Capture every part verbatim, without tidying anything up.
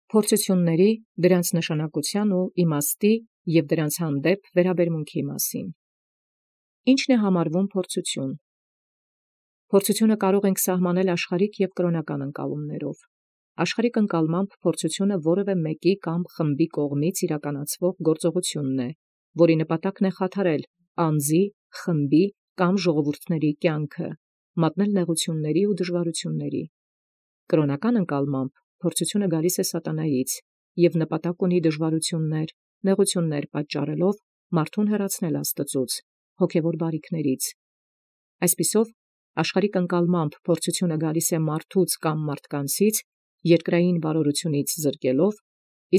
Փորձութիւնացն, դրանց նշանակութեան և իմաստի և դրանց հանդեպ վերաբերմունքի մասին։ Ի՞նչ է համարվում փորձութիւն։ Փորձութիւնը կարող ենք սահմանել աշխարհիկ և կրոնական ընկալումներով։ Աշխարհիկ ընկալմամբ փորձութիւնը որևէ մեկի կամ խմբի կողմից իրականացվող գործողութիւն է, որի նպատակն է խաթարել անձի, խմբի կամ ժողովուրդների կյանքը, մատնել նեղութիւնների ու դժուարութիւնների։ Կրոնական ընկալմամբ փորձութիւնը գալիս է սատանայից և նպատակ ունի դժուարութիւններ, նեղութիւններ պատճառելով մարդուն հեռացնել Աստուծոյ, հոգևոր բարիքներից։ Այսպիսով, աշխարհիկ ընկալմամբ փորձութիւնը գալիս է մարդուց կամ մարդկանցից, երկրային վարորութիւնից զրկելով,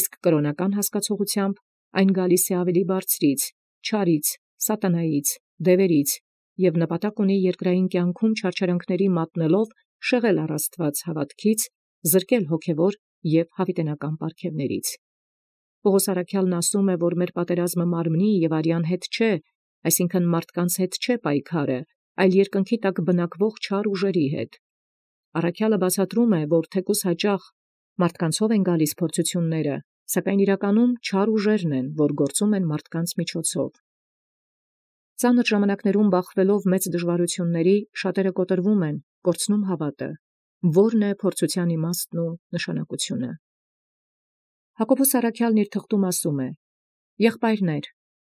իսկ կրոնական հասկացողութեամբ այն գալիս է ավելի բարձրից, չարից, սատանայից, դևերից, և նպատակ ունի երկրային կյանքում չարչարանքների մատնելով շեղել առ Աստուած հաւատոց, զրկել հոգևոր և յաւիտենական պարգևներից։ Պողոս առաքեալն ասում է, որ մեր պատերազմը մարմնի և արեան հետ չէ, այսինքն մարդկանց հետ չէ պայքարը, այլ երկնքի տակ բնակվող չար ուժերի հետ։ Առաքեալը բացատրում է, որ թեկուզ հաճախ մարդկանցով են գալիս փորձութիւնները, սակայն իրականում չար ուժերն են, որ գործում են մարդկանց միջոցով։ Ծանր ժամանակներում բախվելով մեծ դժուարութիւնների, շատերը կոտրվում են, կորցնում հաւատը։ Ո՞րն է փորձութեան իմաստն ու նշանակութիւնը։ Յակոբոս առաքեալն իր թղթում ասում է. «Եղբայրներ,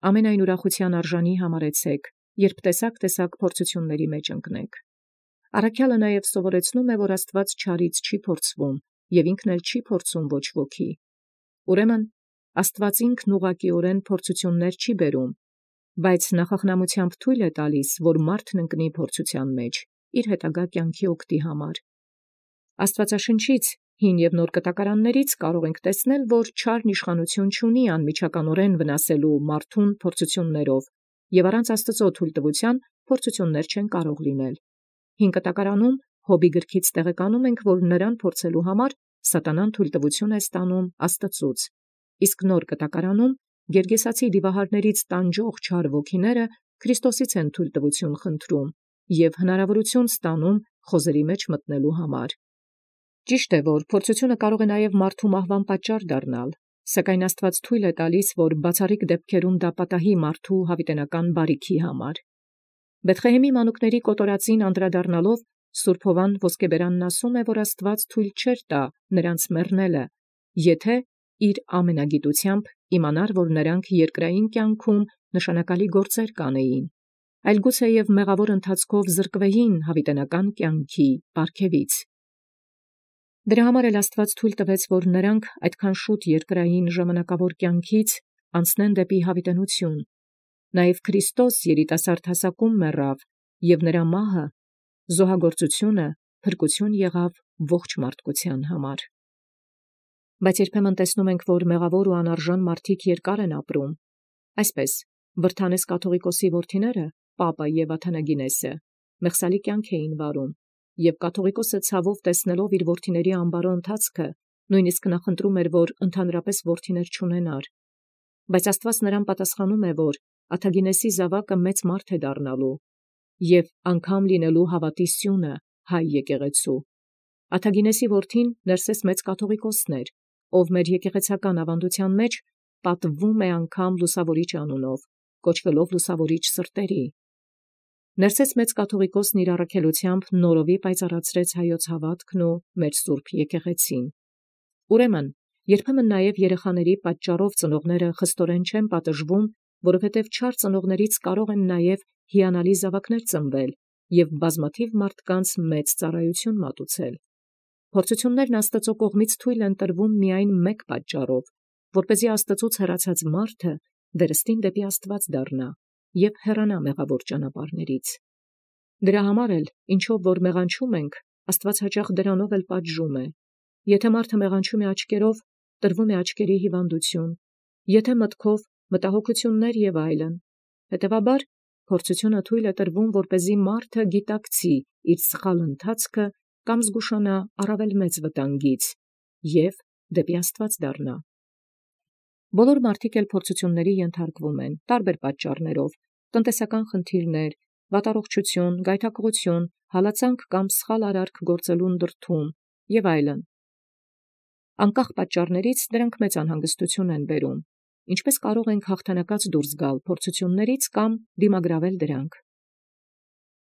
ամենայն ուրախութեան արժանի համարեցէք, երբ տեսակ փորձութիւնների մեջ ընկնէք»։ Առաքեալը նաև սովորեցնում է, որ Աստուած չարից չի փորձվում, և ինքն էլ չի փորձում ոչ ոքի։ Ուրեմն Աստուած ինքն ուղղակիորեն փորձութիւններ չի բերում, բայց նախախնամութեամբ թույլ է տալիս, որ մարդն ընկնի փորձութեան մեջ իր հետագա կյանքի օգտի համար։ Աստուածաշնչից հին և նոր կտակարաններից կարող ենք տեսնել, որ չարն իշխանութիւն չունի անմիջականորեն վնասելու մարդուն փորձութիւններով, և առանց Աստուծոյ թույլտվութեան փորձութիւններ չեն կարող լինել։ Հին կտակարանում Յոբի գրքից տեղեկանում ենք, որ նրան փորձելու համար սատանան թույլտվութիւն է ստանում Աստուծոյ, իսկ նոր կտակարանում գերգեսացի դիվահարներից տանջող չար ոգիները Քրիստոսից են թույլտվութիւն խնդրում և հնարավորութիւն ստանում խոզերի մեջ մտնելու համար։ Ճիշտ է, որ փորձութիւնը կարող է նաև մարդու մահվան պատճառ դառնալ, սակայն Աստուած թույլ է տալիս, որ բացառիկ դեպքերում դա պատահի մարդու յաւիտենական բարիքի համար։ Բեթղեհեմի մանուկների կոտորածին անդրադառնալով Սուրբ Յովհան Ոսկեբերանն ասում է, որ Աստուած թույլ չէր տա նրանց մեռնելը, եթէ իր ամենագիտութեամբ իմանար, որ նրանք երկրային կյանքում նշանակալի գործեր կանեին, այլ գուցեև մեղավոր ընթացքով զրկվեին յաւիտենական կյանքի պարգևից։ Դրա համար էլ Աստուած թույլ տվեց, որ նրանք այդքան շուտ երկրային ժամանակավոր կյանքից անցնեն դեպի յաւիտենութիւն։ Նաև Քրիստոս երիտասարդ հասակում մեռավ, և նրա մահը զոհագործութիւնը փրկութիւն եղավ ողջ մարդկութեան համար։ Բայց երբեմն տեսնում ենք, որ մեղավոր ու անարժան մարդիկ երկար են ապրում։ Այսպես Վրդանես կաթուղիկոսի որդիները, Պապը և Աթանագինեսը, մեղսալի կյանք էին վարում, և կաթուղիկոսը ցավով տեսնելով իր որդիների ամբարոյ ընթացքը, նույնիսկ նախընտրում էր, որ ընդհանրապես որդիներ չունենար։ Բայց Աստուած նրան պատասխանում է, որ Աթագինեսի զաւակը մեծ մարդ է դառնալու և անգամ լինելու հաւատի սիւնը հայ եկեղեցու։ Աթագինեսի որդին Ներսես մեծ կաթուղիկոսն էր, ով մեր եկեղեցական աւանդութեան մեջ պատվվում է անգամ Լուսաւորիչ անունով, կոչվելով Լուսաւորիչ սրտերի։ Ներսես մեծ կաթուղիկոսն իր առաքելութեամբ նորովի պայծառացրեց հայոց հաւատքն ու մեր սուրբ եկեղեցին։ Ուրեմն երբեմն նաև երեխաների պատճառով ծնողները խստորեն չեն պատժվում, որովհետև չար ծնողներից կարող են նաև հիանալի զաւակներ ծնվել և բազմաթիվ մարդկանց մեծ ծառայութիւն մատուցել։ Փորձութիւններն Աստուծոյ կողմից թույլ են տրվում միայն մեկ պատճառով, որպեսզի Աստուծոց հեռացած մարդը վերստին դեպի Աստուած դառնա և հեռանա մեղավոր ճանապարհներից։ Դրա համար էլ, ինչով որ մեղանչում ենք, Աստուած հաճախ դրանով էլ պատժում է։ Եթե մարդը մեղանչում է աչքերով, տրվում է աչքերի հիվանդութիւն, եթե մտքով մտահոգութիւններ և այլն։ Հետևաբար փորձութիւնը թույլ է տրվում, որպեսզի մարդը գիտակցի իր սխալ ընթացքը կամ զգուշանա առավել մեծ վտանգից և դեպի Աստուած դառնա։ Բոլոր մարդիկ էլ փորձութիւնների ենթարկվում են տարբեր պատճառներով՝ տնտեսական խնդիրներ, վատառողջութիւն, գայթակղութիւն, հալածանք կամ սխալ արարք գործելուն դրդում և այլն։ Անկախ պատճառներից դրանք մեծ անհանգստություն են բերում։ Ինչպես կարող ենք հաղթանակած դուրս գալ փորձություններից կամ դիմագրավել դրանք։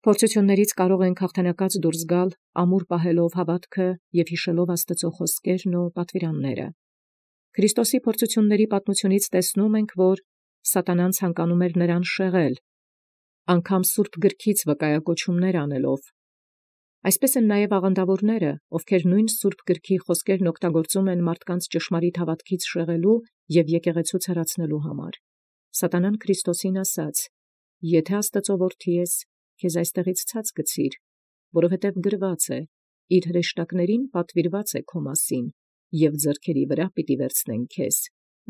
Փորձություններից կարող ենք հաղթանակած դուրս գալ ամուր պահելով հավատքը և հիշելով Աստծո խոսքերն ու պատվիրանները։ Քրիստոսի փորձությունների պատմությունից տեսնում ենք, որ սատանան ցանկանում էր նրան շեղել, անգամ Սուրբ Գրքից վկայակոչումներ անելով։ Այսպես են նաև աղանդավորները, ովքեր նույն Սուրբ Գրքի խոսքերն օգտագործում են մարդկանց ճշմարիտ հավատքից շեղելու և եկեղեցու ցարացնելու համար։ Սատանան Քրիստոսին ասաց. «Եթե Աստծո որդի ես, քեզ այստեղից ցած գցիր, որովհետև գրված է. իր հրեշտակներին պատվիրված է քո մասին, և ձեռքերի վրա պիտի վերցնեն քեզ,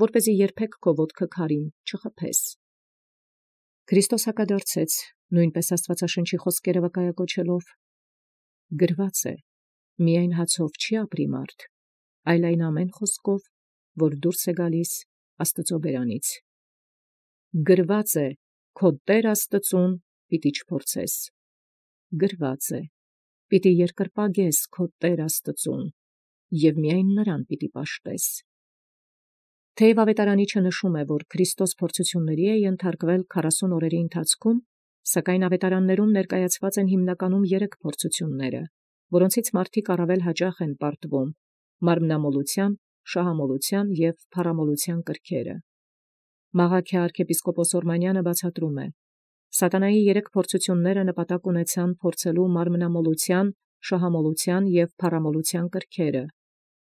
որպեսզի երբեք քո ոտքը քարին չխփես»։ Քրիստոս հակադարձեց, նույնպես Աստվածաշնչի խոսքերը վկայակոչելով. «Գրված է. միայն հացով չի ապրի մարդ, այլ այն ամեն խոսքով, որ դուրս է գալիս Աստծո բերանից։ Գրված է. քո Տեր Աստծուն պիտի չփորձես։ Գրված է. պիտի երկրպագես քո Տեր Աստծուն, և միայն նրան պիտի պաշտես»։ Թեև ավետարանիչը նշում է, որ Քրիստոս փորձությունների է ենթարկվել քառասուն օրերի ընթացքում, սակայն ավետարաններում ներկայացված են հիմնականում երեք փորձությունները, որոնցից մարդիկ առավել հաճախ են պարտվում՝ մարմնամոլության, շահամոլության և փառամոլության կրքերը։ Մաղաքիա arczepiskopos Օրմանյանը բացատրում է. Սատանայի երեք փորձությունները նպատակ ունեցան փորձելու մարմնամոլության, շահամոլության և փառամոլության կրքերը։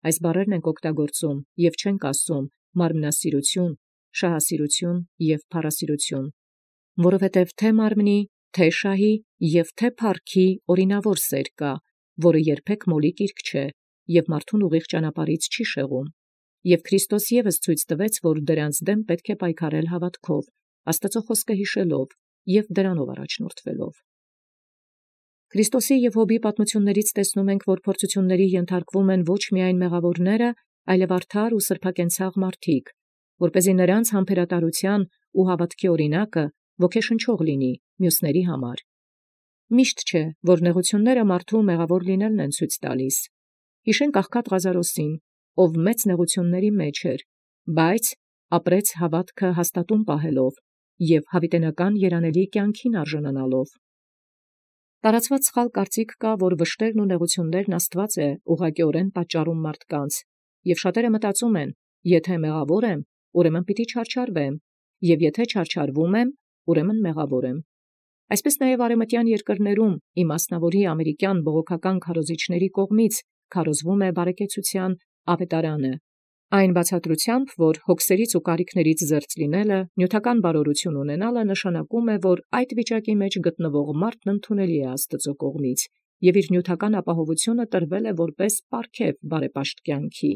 Այս բառերն ենք օգտագործում և չենք ասում մարմնասիրություն, շահասիրություն և փառասիրություն, որովհետև թե մարմնի, թե շահի և թե փառքի օրինավոր սեր կա, որը երբեք մոլի կիրք չէ և մարդուն ուղիղ ճանապարհից չի շեղում։ Եվ Քրիստոս ևս ցույց տվեց, որ դրանց դեմ պետք է պայքարել հավատքով, Աստծո խոսքը հիշելով և դրանով առաջնորդվելով։ Քրիստոսի և Հոբի պատմություններից տեսնում ենք, որ փորձությունների ենթարկվում են ոչ միայն մեղավորները, այլև արդար ու սրբակենցաղ մարդիկ, որպեսզի նրանց համբերատարության ու հավատքի օրինակը ոգեշնչող լինի մյուսների համար։ Միշտ չէ, որ նեղությունները մարդու մեղավոր լինելն են ցույց տալիս։ Հիշենք աղքատ Ղազարոսին, ով մեծ նեղությունների մեջ էր, բայց ապրեց հավատքը հաստատուն պահելով և հավիտենական երանելի կյանքին արժանանալով։ Տարածված սխալ կարծիք կա, որ վշտերն ու նեղություններն Աստված է ուղղակիորեն պատճառում մարդկանց, և շատերը մտածում են. եթե մեղավոր եմ, ուրեմն պիտի չարչարվեմ, և եթե չարչարվում եմ, ուրեմն մեղավոր եմ։ Այսպես նաև արևմտյան երկրներում իմասնավորի ամերիկյան բողոքական քարոզիչների կողմից քարոզվում է բարեկեցության ավետարանը, այն բացատրությամբ, որ հոգսերից ու կարիքներից զերծ լինելը, նյութական բարօրություն ունենալը նշանակում է, որ այդ վիճակի մեջ գտնվող մարդն ընդունելի է Աստծո կողմից, և իր նյութական ապահովությունը տրվել է որպես պարգև բարեպաշտ կյանքի։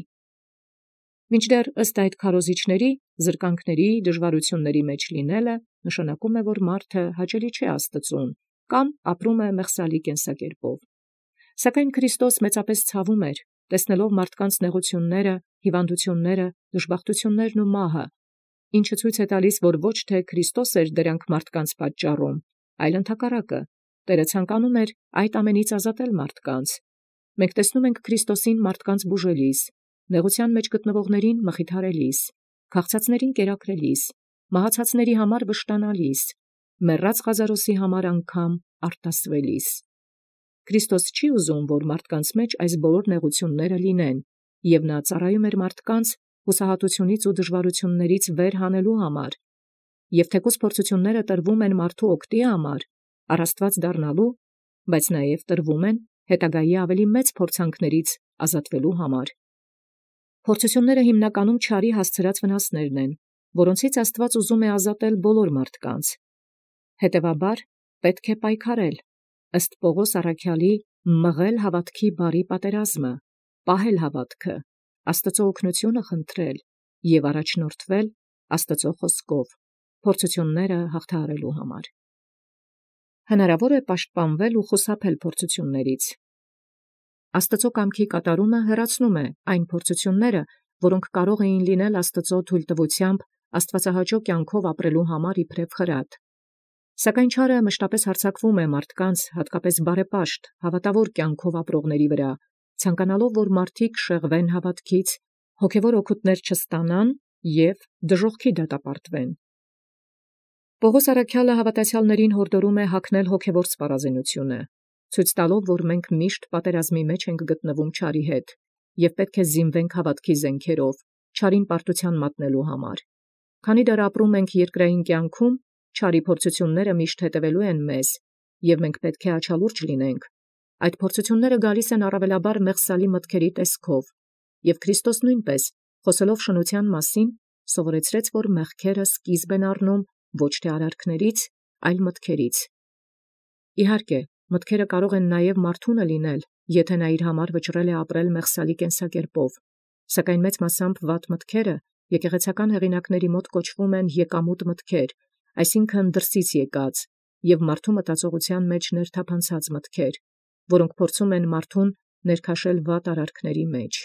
Մինչդեռ ըստ այդ քարոզիչների, զրկանքների, դժվարությունների մեջ լինելը նշանակում է, որ մարդը հաճելի չէ Աստծուն կամ ապրում է մեղսալի կենսակերպով։ Սակայն Քրիստոս մեծապես ցավում էր, տեսնելով մարդկանց նեղությունները, հիվանդությունները, դժբախտություններն ու մահը, ինչը ցույց է տալիս, որ ոչ թե Քրիստոս էր դրանք մարդկանց պատճառում, այլ ընդհակառակը, Տերը ցանկանում էր այդ ամենից ազատել մարդկանց։ Մենք տեսնում ենք Քրիստոսին մարդկանց բուժելիս, նեղության մեջ գտնվողներին մխիթարելիս, քաղցածներին կերակրելիս, մահացածների համար վշտանալիս, մեռած Ղազարոսի համար անգամ արտասվելիս։ Քրիստոս չի ուզում, որ մարդկանց մեջ այս բոլոր նեղությունները լինեն, և նա ծառայում էր մարդկանց հուսահատությունից ու դժվարություններից վեր հանելու համար, և թեկուզ փորձությունները տրվում են մարդու օգտի համար, առ Աստված դառնալու, բայց նաև տրվում են հետագայի ավելի մեծ փորձանքներից ազատվելու համար։ Փորձությունները հիմնականում չարի հասցրած վնասներն են, որոնցից Աստված ուզում է ազատել բոլոր մարդկանց։ Հետևաբար պետք է պայքարել, ըստ Պողոս առաքյալի, մղել հավատքի բարի պատերազմը, պահել հավատքը, Աստծո օգնությունը խնդրել և առաջնորդվել Աստծո խոսքով, փորձությունները հաղթահարելու համար։ Հնարավոր է պաշտպանվել ու խուսափել փորձություններից։ Աստծո կամքի կատարումը հեռացնում է այն փորձությունները, որոնք կարող էին լինել Աստծո թույլտվությամբ աստվածահաճո կյանքով ապրելու համար իբրև խրատ։ Սակայն չարը մշտապես հարձակվում է մարդկանց, հատկապես բարեպաշտ, հավատավոր կյանքով ապրողների վրա, ցանկանալով որ մարդիկ շեղվեն հաւատքից, հոգևոր օգուտներ չստանան և դժոխքի դատապարտվեն։ Պողոս առաքյալը հաւատացեալսն յորդորում է հագնել հոգևոր սպառազինութիւնը, ցույց տալով, որ մենք միշտ պատերազմի մեջ ենք գտնվում չարի հետ, և պետք է զինվենք հաւատքի զենքերով, չարին պարտութեան մատնելու համար։ Քանի դեռ ապրում ենք երկրային կյանքում, չարի փորձութիւնները միշտ հետևելու են մեզ, և մենք պետք է աչալուրջ լինենք։ Այդ փորձութիւնները գալիս են առավելաբար մեղսալի մտքերի տեսքով, և Քրիստոս նույնպես, խոսելով շնութեան մասին, սովորեցրեց, որ մեղքերը սկիզբ են առնում ոչ թե արարքներից, այլ մտքերից։ Իհարկե, մտքերը կարող են նաև մարդունը լինել, եթե նա իր համար վճռել է ապրել մեղսալի կենսակերպով, սակայն մեծ մասամբ վատ մտքերը եկեղեցական հեղինակների մոտ կոչվում են եկամուտ մտքեր, այսինքն դրսից եկած, և մարդու մտածողութեան մեջ ներթափանցած մտքեր, որոնք փորձում են մարդուն ներքաշել վատ արարքների մեջ։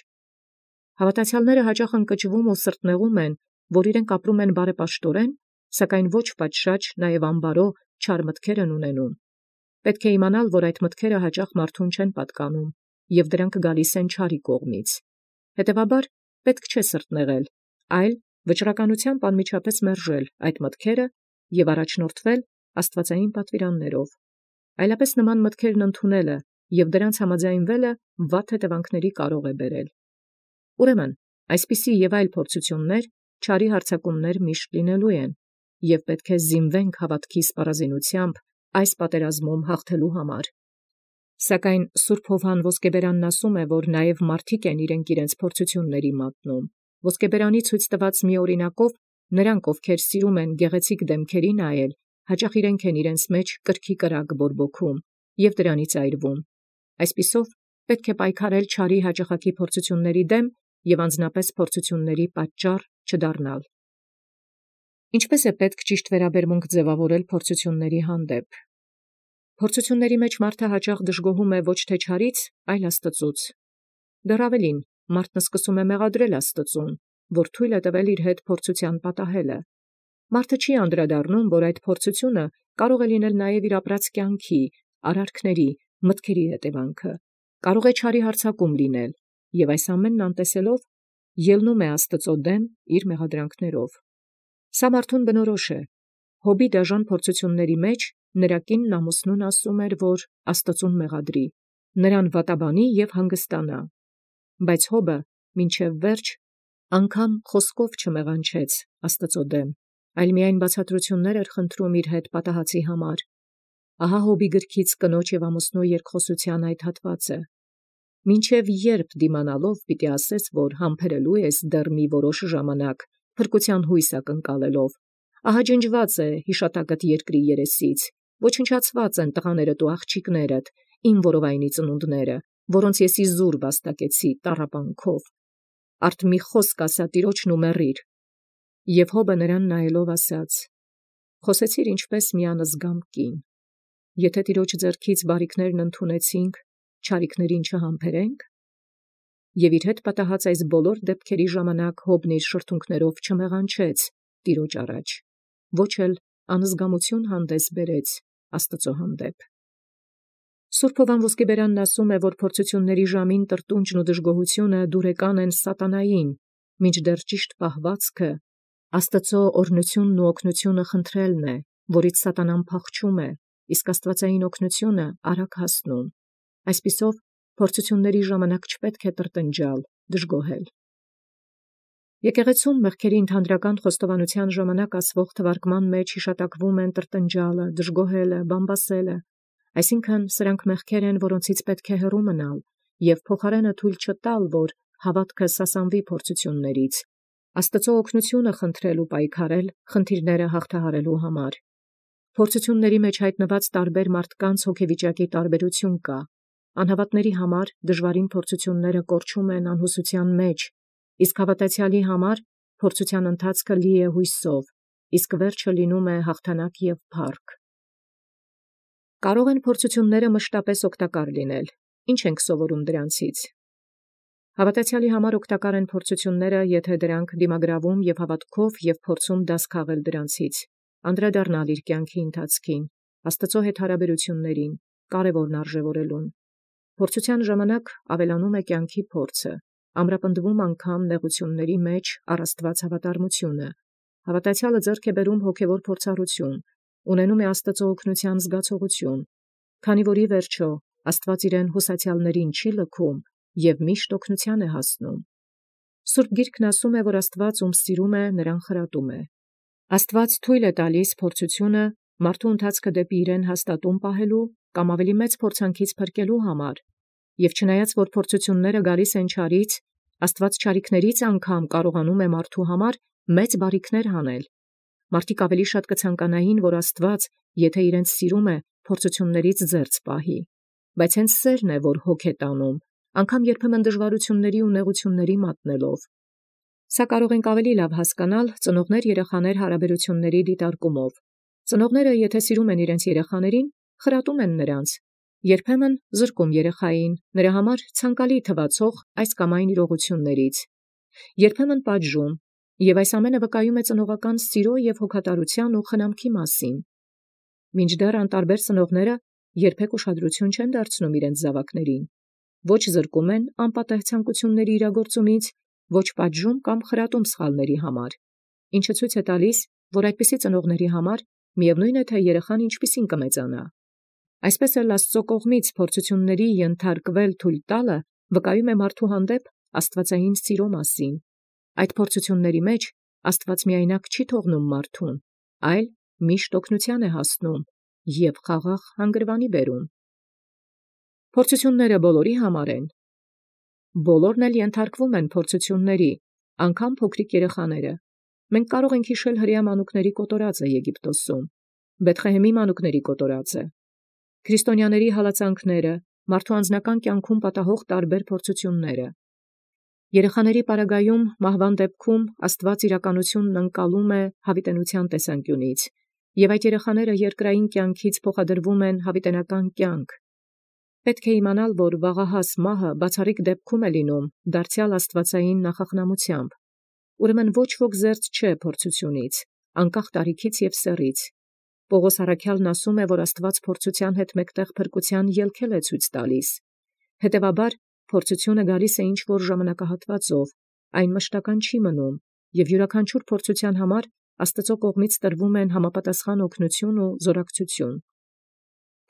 Հաւատացեալսն հաճախ ընկճվում ու սրտնեղում են, որ իրենք ապրում են բարեպաշտորեն, սակայն ոչ պատշաճ նաև անբարո չար մտքեր են ունենում։ Պետք է իմանալ, որ այդ մտքերը հաճախ մարդուն չեն պատկանում, և դրանք գալիս են չարի կողմից։ Հետևաբար պետք չէ սրտնեղել, այլ վճռականութեամբ անմիջապես մերժել այդ մտքերը և առաջնորդվել աստուածային պատվիրաններով։ Այլապես նման մտքերն ընդունելը և դրանց համաձայնվելը վատ հետևանքների կարող է բերել։ Ուրեմն, այսպիսի և այլ փորձութիւններ, չարի հարձակումներ միշտ լինելու են, և պետք է զինվենք հաւատքի սպառազինութեամբ այս պատերազմում հաղթելու համար։ Սակայն սուրբ Յովհան Ոսկեբերանն ասում է, որ նաև մարդիկ են իրենք իրենց փորձութիւնների մատնում։ Ոսկեբերանի ցույց տված մի օրինակով նրանք, ովքեր սիրում են գեղեցիկ դեմքերի նայել, հաճախ իրենք են իրենց մեջ կրքի կրակ բորբոքում և դրանից այրվում։ Այսպիսով պետք է պայքարել չարի հաճախակի փորձութիւնների դեմ և անձնապես փորձութիւնների պատճառ չդառնալ։ Ինչպէս է պետք ճիշտ վերաբերմունք ձևավորել փորձութիւնների հանդեպ։ Փորձութիւնների մեջ մարդը հաճախ դժգոհում է ոչ թե չարից, այլ Աստծուց։ Դեռ ավելին, մարդն սկսում է մեղադրել Աստծուն, որ թույլ է տվել իր հետ փորձութեան պատահելը։ Մարդը չի անդրադառնում, որ այդ փորձութիւնը կարող է լինել նաև իր ապրած կյանքի, արարքների, մտքերի հետևանքը, կարող է չարի հարձակում լինել, և այս ամենն անտեսելով ելնում է Աստծո դեմ իր մեղադրանքներով։ Սա մարդուն բնորոշ է։ Հոբի դաժան փորձութիւնների մեջ նրա կինն ամուսնուն ասում էր, որ Աստծուն մեղադրի, նրան վատաբանի և հանգստանա։ Բայց Հոբը մինչև վերջ անգամ խոսքով չմեղանչեց Աստծո դեմ, այլ միայն բացատրութիւններ էր խնդրում իր հետ պատահածի համար։ Ահա Հոբի գրքից կնոջ և ամուսնու երկխոսութեան այդ հատվածը։ Մինչև երբ դիմանալով պիտի ասես, որ համբերելու ես դեռ մի որոշ ժամանակ, փրկութեան հույս ակնկալելով, ահա ջնջված է յիշատակդ երկրի երեսից, ոչնչացված են տղաներդ ու աղջիկներդ, իմ որովայնի ծնունդները, որոնց ես իզուր վաստակեցի տառապանքով։ Արդ մի խոսք ասա տիրոջն ու մեռիր։ Եւ Հոբը նրան նայելով ասաց. «Խոսեցիր ինչպես մի անզգամ կին. եթե տիրոջ ձեռքից բարիքներն ընդունեցինք, չարիքներին չհամբերենք»։ Եւ իր հետ պատահած այս բոլոր դեպքերի ժամանակ Հոբն իր շրթունքներով չմեղանչեց տիրոջ առաջ, ոչ էլ անզգամութիւն հանդես բերեց Աստծո հանդեպ։ Սուրբ Յովհան Ոսկեբերանն ասում է, որ փորձութիւնների ժամին տրտունջն ու դժգոհութիւնը դուրեկան են սատանային, մինչդեռ ճիշտ պահվածքը Աստծո օրհնութիւնն ու օգնութիւնը խնդրելն է, որից սատանան փախչում է, իսկ աստուածային օգնութիւնը արագ հասնում։ Այսպիսով, փորձութիւնների ժամանակ չպետք է տրտնջալ, դժգոհել։ Եկեղեցում մեղքերի ընդհանրական խոստովանութեան ժամանակ ասվող թվարկման մեջ յիշատակվում են տրտնջալը, դժգոհելը, բամբասելը, այսինքն սրանք մեղքեր են, որոնցից պետք է հեռու մնալ և փոխարենը թույլ չտալ, որ հաւատքը սասանվի փորձութիւններից, Աստծո օգնութիւնը խնդրել ու պայքարել խնդիրները հաղթահարելու համար։ Փորձութիւնների մեջ հայտնված տարբեր մարդկանց հոգեվիճակի տարբերություն կա։ Անհավատների համար դժվարին փորձութիւնները կորչում են անհուսութեան մեջ, իսկ հաւատացեալի համար փորձութեան ընթացքը լի է հույսով, իսկ վերջը լինում է հաղթանակ և փառք։ Կարող են փորձութիւնները մշտապես օգտակար լինել։ Ինչ ենք սովորում դրանցից։ Հաւատացեալի համար օգտակար են փորձութիւնները, եթե դրանք դիմագրավում եւ հաւատքով եւ փորձում դաս քաղել դրանցից, անդրադառնալ իր կյանքի ընթացքին, Աստծո հետ հարաբերություններին, կարևորն արժեւորելուն։ Փորձութեան ժամանակ ավելանում է կյանքի փորձը, ամրապնդվում անգամ նեղությունների մեջ առ Աստուած հավատարմությունը, հավատացյալը ձեռք է բերում հոգևոր փորձառություն, ունենում է Աստծո օգնության զգացողություն, քանի որ ի վերջո Աստուած իրեն հուսացյալներին չի լքում և միշտ օգնության է հասնում։ Սուրբ Գիրքն ասում է, որ Աստուած ում սիրում է, նրան խրատում է։ Աստուած թույլ է տալիս փորձութիւնը մարդու ընթացքը դեպի իրեն հաստատուն պահելու կամ ավելի մեծ փորձանքից փրկելու համար, և չնայած որ փորձութիւնները գալիս են չարից, Աստուած չարիքներից անգամ կարողանում է մարդու համար մեծ բարիքներ հանել։ Մարդիկ ավելի շատ կցանկանային, որ Աստուած, եթե իրենց սիրում է, փորձութիւններից զերծ պահի, բայց հենց սերն է, որ հոգ է տանում, անգամ երբեմն դժվարությունների ու նեղությունների մատնելով։ Սա կարող ենք ավելի լավ հասկանալ ծնողներ-երեխաներ հարաբերությունների դիտարկումով։ Ծնողները, եթե սիրում են իրենց երեխաներին, խրատում են նրանց, երբեմն զրկում երեխային նրա համար ցանկալի թվացող այս կամ այն իրողություններից, երբեմն պատժում, և այս ամենը վկայում է ծնողական սիրո և հոգատարության ու խնամքի մասին։ Մինչդեռ անտարբեր ծնողները երբեք ուշադրություն չեն դարձնում իրենց զավակներին, ոչ զրկում են անպատեհ ցանկությունների իրագործումից, ոչ պատժում կամ խրատում սխալների համար, ինչը ցույց է տալիս, որ այդպիսի ծնողների համար միևնույն է, թե երեխան ինչպիսին կմեծանա։ Այսպես էլ Աստծո կողմից փորձութիւնների ենթարկվել թույլ տալը վկայում է մարդու հանդեպ աստուածային սիրո մասին։ Այդ փորձութիւնների մեջ Աստուած միայնակ չի թողնում մարդուն, այլ միշտ օգնության է հասնում և խաղաղ հանգրվանի բերում։ Փորձութիւնները բոլորի համար են։ Բոլորն էլ ենթարկվում են փորձութիւնների, անգամ փոքրիկ երեխաները։ Մենք կարող ենք հիշել հրեա մանուկների կոտորածը Եգիպտոսում, Բեթղեհեմի մանուկների կոտորածը, քրիստոնյաների հալածանքները, մարդու անձնական կյանքում պատահող տարբեր փորձութիւնները։ Երեխաների պարագայում մահվան դեպքում Աստուած իրականությունն ընկալում է հավիտենության տեսանկյունից, և այդ երեխաները երկրային կյանքից փոխադրվում են հավիտենական կյանք։ Պետք է իմանալ, որ վաղահաս մահը բացառիկ դեպքում է լինում դարձյալ աստուածային նախախնամությամբ։ Ուրեմն ոչ ոք զերծ չէ փորձութիւնից, անկախ տարիքից և սեռից։ Պողոս առաքյալն ասում է, որ Աստուած փորձութեան հետ մեկտեղ փրկության ելքել է ցույց տալիս։ Հետևաբար փորձութիւնը գալիս է ինչ-որ ժամանակահատվածով, այն մշտական չի մնում, և յուրաքանչյուր փորձութեան համար Աստծո կողմից տրվում են համապատասխան օգնություն ու զորակցություն։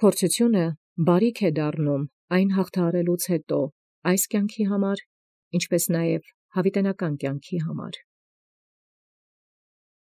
Փորձութիւնը բարիք է դառնում այն հաղթահարելուց հետո, այս կյանքի համար, ինչպես նաև հավիտենական կյանքի համար։